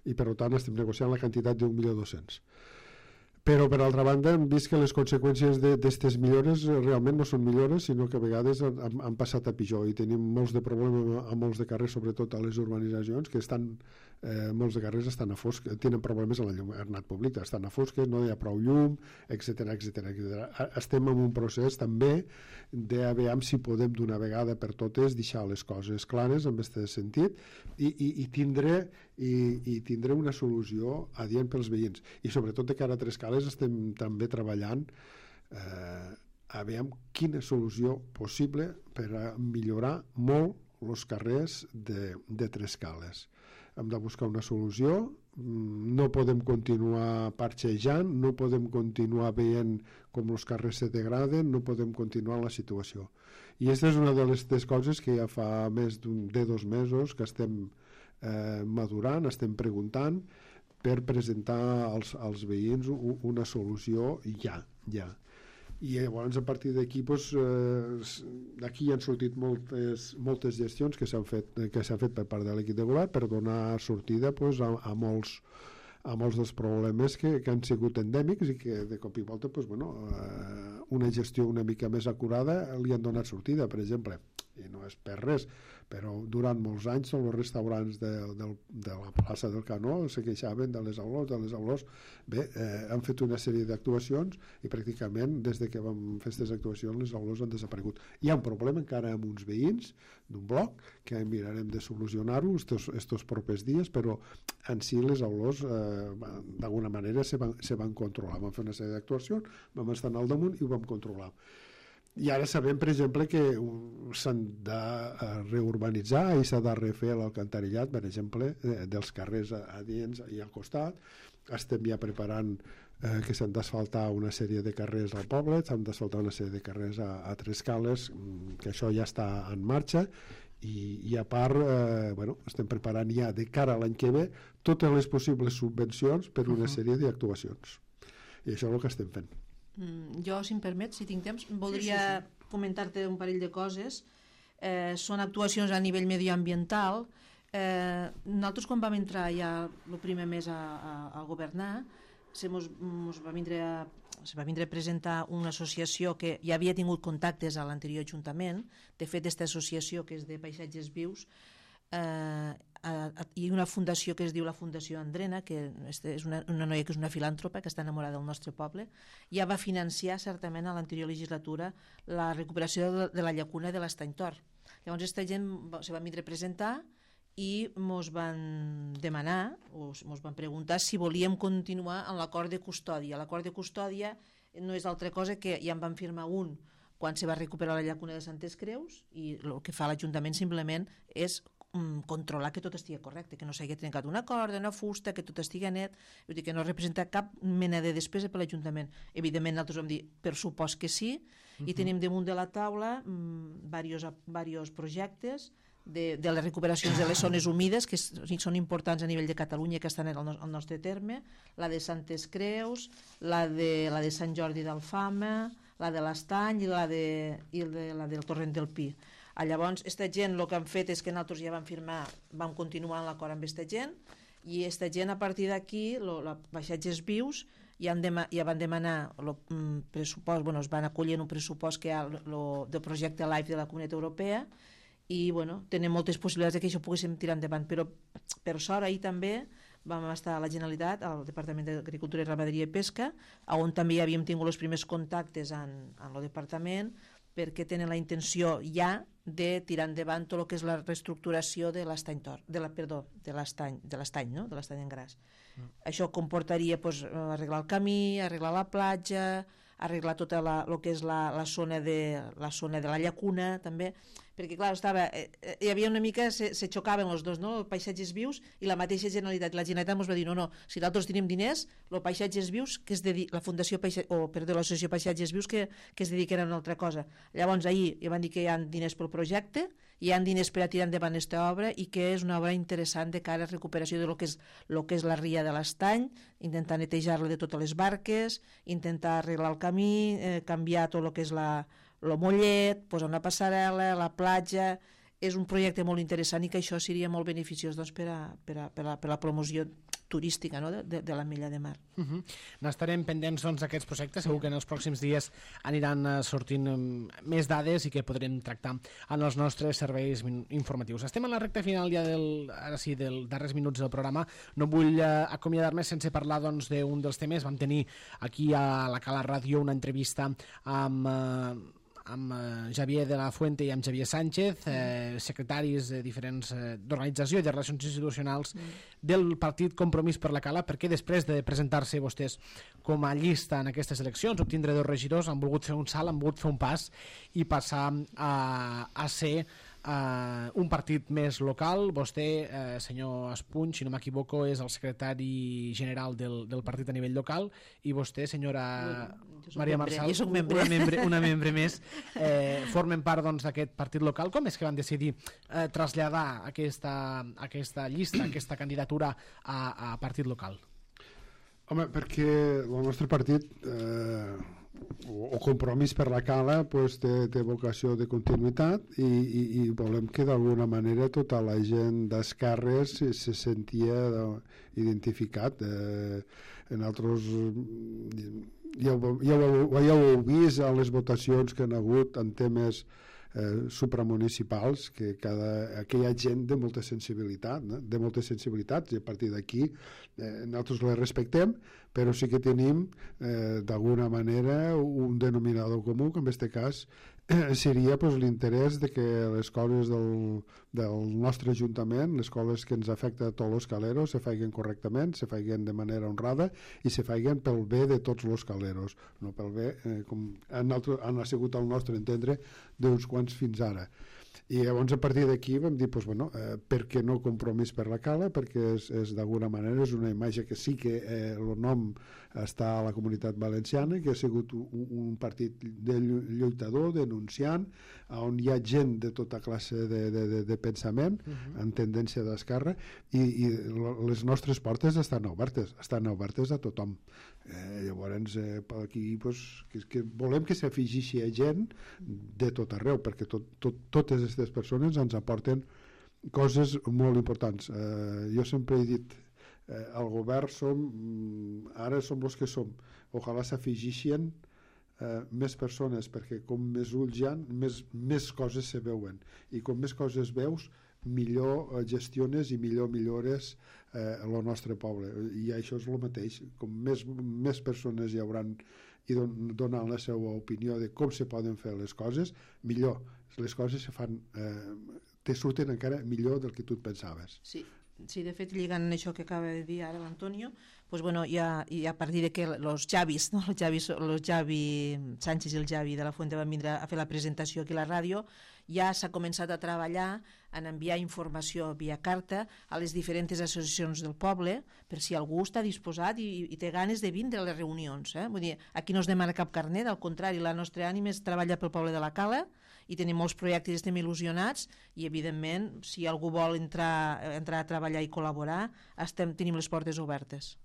I per tant estem negociant la quantitat d'un milió dos-cents. Però per altra banda hem vist que les conseqüències d'aquestes millores realment no són millores, sinó que a vegades han, han passat a pitjor i tenim molts de problemes a molts de carrers, sobretot a les urbanitzacions, que estan Eh, molts de carrers estan a fosc, tenen problemes a l'enlluernat públic, estan a fosques, no hi ha prou llum, etcètera, etcètera, etcètera. Estem en un procés també de veure si podem d'una vegada per totes deixar les coses clares en aquest sentit i, i, i, tindre, i, i tindre una solució adient pels veïns. I sobretot de cara a Trescales estem també treballant eh, a veure quina solució possible per a millorar molt els carrers de, de Trescales. Hem de buscar una solució, no podem continuar parxejant, no podem continuar veient com els carrers se degraden, no podem continuar la situació. I aquesta és una de les, les coses que ja fa més de dos mesos que estem eh, madurant, estem preguntant per presentar als, als veïns una solució ja, ja. I llavors a partir d'aquí doncs, eh, d'aquí han sortit moltes, moltes gestions que s'han fet, que s'han fet per part de l'equip de govern per donar sortida doncs, a, a, molts, a molts dels problemes que, que han sigut endèmics i que de cop i volta doncs, bueno, eh, una gestió una mica més acurada li han donat sortida. Per exemple, i no és per res, però durant molts anys tots els restaurants de, de, de la plaça del Canó se queixaven de les olors, de les olors. Bé, eh, han fet una sèrie d'actuacions i pràcticament des de que vam fer aquestes actuacions les olors han desaparegut. Hi ha un problema encara amb uns veïns d'un bloc que mirarem de solucionar-ho estos, estos propers dies, però en si les olors eh, d'alguna manera se van, se van controlar. Vam fer una sèrie d'actuacions, vam estar al damunt i ho vam controlar. I ara sabem, per exemple, que s'han de reurbanitzar i s'ha de refer l'alcantarillat, per exemple, dels carrers adients i al costat. Estem ja preparant eh, que s'han d'asfaltar una sèrie de carrers al poble, s'han d'asfaltar una sèrie de carrers a, a Trescales, que això ja està en marxa, i, i a part eh, bueno, estem preparant ja de cara a l'any que ve totes les possibles subvencions per una uh-huh. sèrie d'actuacions. I això és el que estem fent. Mm, jo, si em permets, si tinc temps, voldria sí, sí, sí. comentar-te un parell de coses. Eh, són actuacions a nivell medioambiental. Eh, nosaltres, quan vam entrar ja el primer mes a, a, a governar, se mos, mos va vindre a, se va vindre a presentar una associació que ja havia tingut contactes a l'anterior Ajuntament. De fet, aquesta associació, que és de paisatges vius, eh, a, a, i una fundació que es diu la Fundació Andrena, que és una, una noia que és una filàntropa que està enamorada del nostre poble, ja va financiar certament a l'anterior legislatura la recuperació de, de la llacuna de l'Estany Tor. Llavors aquesta gent se va vindre a presentar i mos van demanar o mos van preguntar si volíem continuar amb l'acord de custòdia. L'acord de custòdia no és altra cosa que ja en van firmar un quan se va recuperar la llacuna de Santes Creus, i el que fa l'Ajuntament simplement és controlar que tot estigui correcte, que no s'hagi trencat una corda, una fusta, que tot estigui net, vull dir que no representa cap mena de despesa per l'Ajuntament. Evidentment, nosaltres vam dir, per supost que sí, uh-huh. i tenim damunt de la taula diversos um, projectes de, de les recuperacions de les zones humides, que són importants a nivell de Catalunya, que estan al, no, al nostre terme, la de Santes Creus, la de, la de Sant Jordi d'Alfama, la de l'Estany i la, de, i de, la del Torrent del Pi. Llavors, aquesta gent el que han fet és que nosaltres ja vam firmar, vam continuar en l'acord amb aquesta gent, i aquesta gent a partir d'aquí, la Paisatges Vius, ja, han dema, ja van demanar el pressupost, bueno, es van acollir en un pressupost que hi ha lo, del projecte LIFE de la Comunitat Europea, i bueno, tenen moltes possibilitats que això poguéssim tirar endavant, però per sort ahir també vam estar a la Generalitat, al Departament d'Agricultura, Ramaderia i Pesca, on també ja havíem tingut els primers contactes en, en el departament, perquè tenen la intenció ja de tirar endavant tot el que és la reestructuració de l'Estany Tor, de la, perdó, de l'Estany, de l'Estany, no? De l'Estany en Gras. Mm. Això comportaria pues, arreglar el camí, arreglar la platja, arreglar tota la, el que és la, la, zona de, la zona de la llacuna, també, perquè clar, estava, eh, hi havia una mica, se, se xocaven els dos, no? Paisatges Vius i la mateixa Generalitat. La Generalitat ens va dir, no, no, si nosaltres tenim diners, el Paisatges Vius, que es dedica, la Fundació Paisa, o perdó, l'Associació Paisatges Vius, que, que es dediquen a una altra cosa. Llavors ahir ja van dir que hi ha diners pel projecte, hi ha diners per a tirar endavant aquesta obra i que és una obra interessant de cara a recuperació de lo que és, lo que és la ria de l'Estany, intentar netejar-la de totes les barques, intentar arreglar el camí, eh, canviar tot el que és la, el mollet, posar una passarel·la, la platja. És un projecte molt interessant i que això seria molt beneficiós doncs, per, a, per, a, per, a, per a la promoció turística, no? de, de, de la Mella de Mar. Uh-huh. N'estarem pendents doncs, d'aquests projectes, segur que en els pròxims dies aniran uh, sortint um, més dades i que podrem tractar en els nostres serveis informatius. Estem en la recta final ja del, ara sí, dels darrers minuts del programa. No vull uh, acomiadar-me sense parlar doncs, d'un dels temes. Vam tenir aquí a la Cala Ràdio una entrevista amb... Uh, amb eh, Javier de la Fuente i amb Xavier Sánchez, eh, secretaris de diferents eh, d'organització i de relacions institucionals mm. del partit Compromís per la Cala, perquè després de presentar-se vostès com a llista en aquestes eleccions, obtindre dos regidors, han volgut fer un salt, han volgut fer un pas i passar a, a ser Uh, un partit més local. Vostè, uh, senyor Espuny, si no m'equivoco, és el secretari general del, del partit a nivell local, i vostè, senyora Maria Marçal, una membre, una membre més, eh, formen part doncs, d'aquest partit local. Com és que van decidir eh, traslladar aquesta, aquesta llista, aquesta candidatura a, a partit local? Home, perquè el nostre partit eh, o, o Compromís per la Cala pues, té, té vocació de continuïtat i, i, i volem que d'alguna manera tota la gent d'esquerres se, se sentia identificat. Eh, en altres ja, ja, ja ho heu vist a les votacions que han hagut en temes eh, supramunicipals, que cada, que hi ha gent de molta sensibilitat, no? de moltes sensibilitats, i a partir d'aquí eh, nosaltres les respectem, però sí que tenim eh, d'alguna manera un denominador comú, que en aquest cas eh, seria pues, l'interès de que les coses del, del nostre Ajuntament, les coses que ens afecta a tots els caleros, se feien correctament, se feien de manera honrada i se feien pel bé de tots els caleros, no pel bé, eh, com han, altre, han sigut al nostre entendre, d'uns quants fins ara. I llavors a partir d'aquí vam dir pues, bueno, eh, per què no Compromís per la Cala, perquè és, és d'alguna manera és una imatge que sí que eh, el nom està a la Comunitat Valenciana, que ha sigut un, un partit de lluitador, denunciant, on hi ha gent de tota classe de, de, de, de pensament, uh-huh. en tendència d'esquerra, i, i les nostres portes estan obertes, estan obertes a tothom. Eh, llavors eh, aquí pues, que, que volem que s'afegeixi a gent de tot arreu, perquè tot, tot, totes aquestes persones ens aporten coses molt importants. Eh, jo sempre he dit eh, el govern som, ara som els que som, ojalà s'afegeixin eh, més persones, perquè com més ulls hi ha, més, més coses se veuen, i com més coses veus millor gestiones i millor millores eh, el nostre poble, i això és el mateix, com més, més persones hi hauran i don, donant la seva opinió de com se poden fer les coses, millor les coses se fan, eh, te surten encara millor del que tu et pensaves. Sí, sí, de fet, lligant això que acaba de dir ara l'Antonio, pues bueno, ja, i a partir de que los Javis, no? los Javi, los Javi Sánchez i el Javi de la Fuente van vindre a fer la presentació aquí a la ràdio, ja s'ha començat a treballar en enviar informació via carta a les diferents associacions del poble, per si algú està disposat i, i té ganes de vindre a les reunions. Eh? Vull dir, aquí no es demana cap carnet, al contrari, la nostra ànima és treballar pel poble de la Cala, i tenim molts projectes, estem il·lusionats, i evidentment, si algú vol entrar, entrar a treballar i col·laborar, estem, tenim les portes obertes.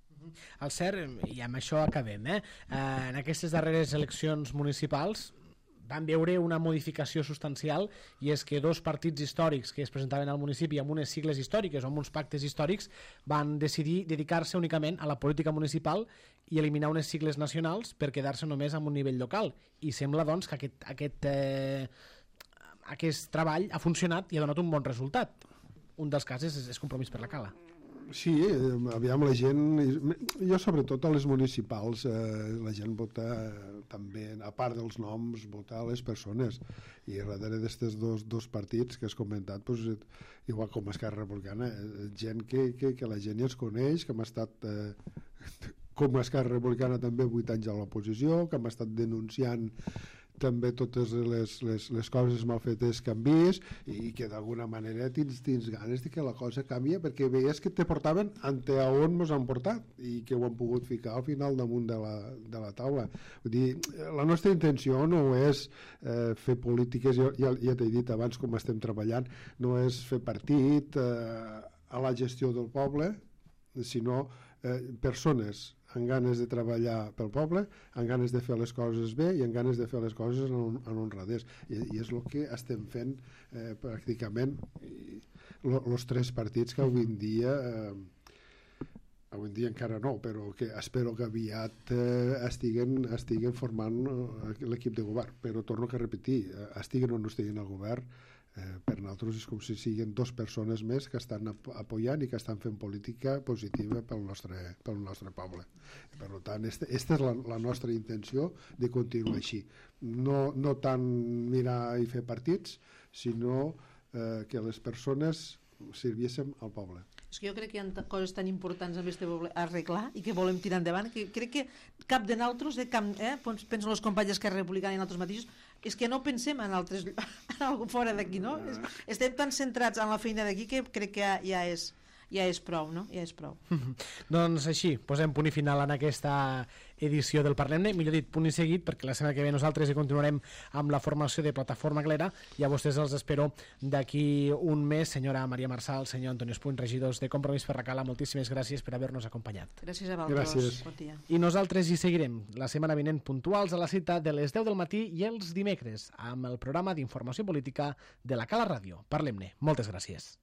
El cert, i amb això acabem, eh? Eh, en aquestes darreres eleccions municipals vam veure una modificació substancial, i és que dos partits històrics que es presentaven al municipi amb unes sigles històriques o amb uns pactes històrics van decidir dedicar-se únicament a la política municipal i eliminar unes sigles nacionals per quedar-se només amb un nivell local, i sembla doncs que aquest, aquest, eh, aquest treball ha funcionat i ha donat un bon resultat. Un dels casos és, és Compromís per la Cala. Sí, aviam, la gent, jo sobretot a les municipals, eh, la gent vota també, a part dels noms, vota a les persones, i darrere d'aquests dos, dos partits que has comentat, pues, igual com Esquerra Republicana, gent que, que, que la gent ja es coneix, que hem estat eh, com Esquerra Republicana també vuit anys a l'oposició, que hem estat denunciant també totes les, les, les coses mal fetes que han vist, i que d'alguna manera tens, tens ganes de que la cosa canvia, perquè veies que te portaven ante a on ens han portat i que ho han pogut ficar al final damunt de la, de la taula. Vull dir, la nostra intenció no és eh, fer polítiques, jo, ja, ja t'he dit abans com estem treballant, no és fer partit eh, a la gestió del poble, sinó eh, persones amb ganes de treballar pel poble, amb ganes de fer les coses bé i amb ganes de fer les coses en, en honradès. I, i és el que estem fent eh, pràcticament els tres partits que avui en dia, eh, avui en dia encara no, però que espero que aviat eh, estiguen, estiguen formant eh, l'equip de govern. Però torno a repetir, eh, estiguen o no estiguen al govern, Eh, per nosaltres és com si siguin dues persones més que estan ap apoyant i que estan fent política positiva pel nostre, pel nostre poble. Per tant, aquesta és la, la nostra intenció de continuar així. No, no tant mirar i fer partits, sinó eh, que les persones serviéssim al poble. És que jo crec que hi ha coses tan importants amb este poble a arreglar i que volem tirar endavant, que crec que cap de nosaltres, eh, eh, penso les companyes d'Esquerra Republicana i nosaltres mateixos, és que no pensem en altres en algo fora d'aquí, no? Estem tan centrats en la feina d'aquí que crec que ja, ja és ja és prou, no? Ja és prou. Doncs així, posem punt i final en aquesta edició del Parlem-ne, millor dit, punt i seguit, perquè la setmana que ve nosaltres hi continuarem amb la formació de Plataforma Glera, i a vostès els espero d'aquí un mes. Senyora Maria Marçal, senyor Antonio Espuny, regidors de Compromís per la Cala, moltíssimes gràcies per haver-nos acompanyat. Gràcies a vosaltres. Bon dia. I nosaltres hi seguirem la setmana vinent puntuals a la cita de les deu del matí i els dimecres amb el programa d'informació política de la Cala Ràdio. Parlem-ne. Moltes gràcies.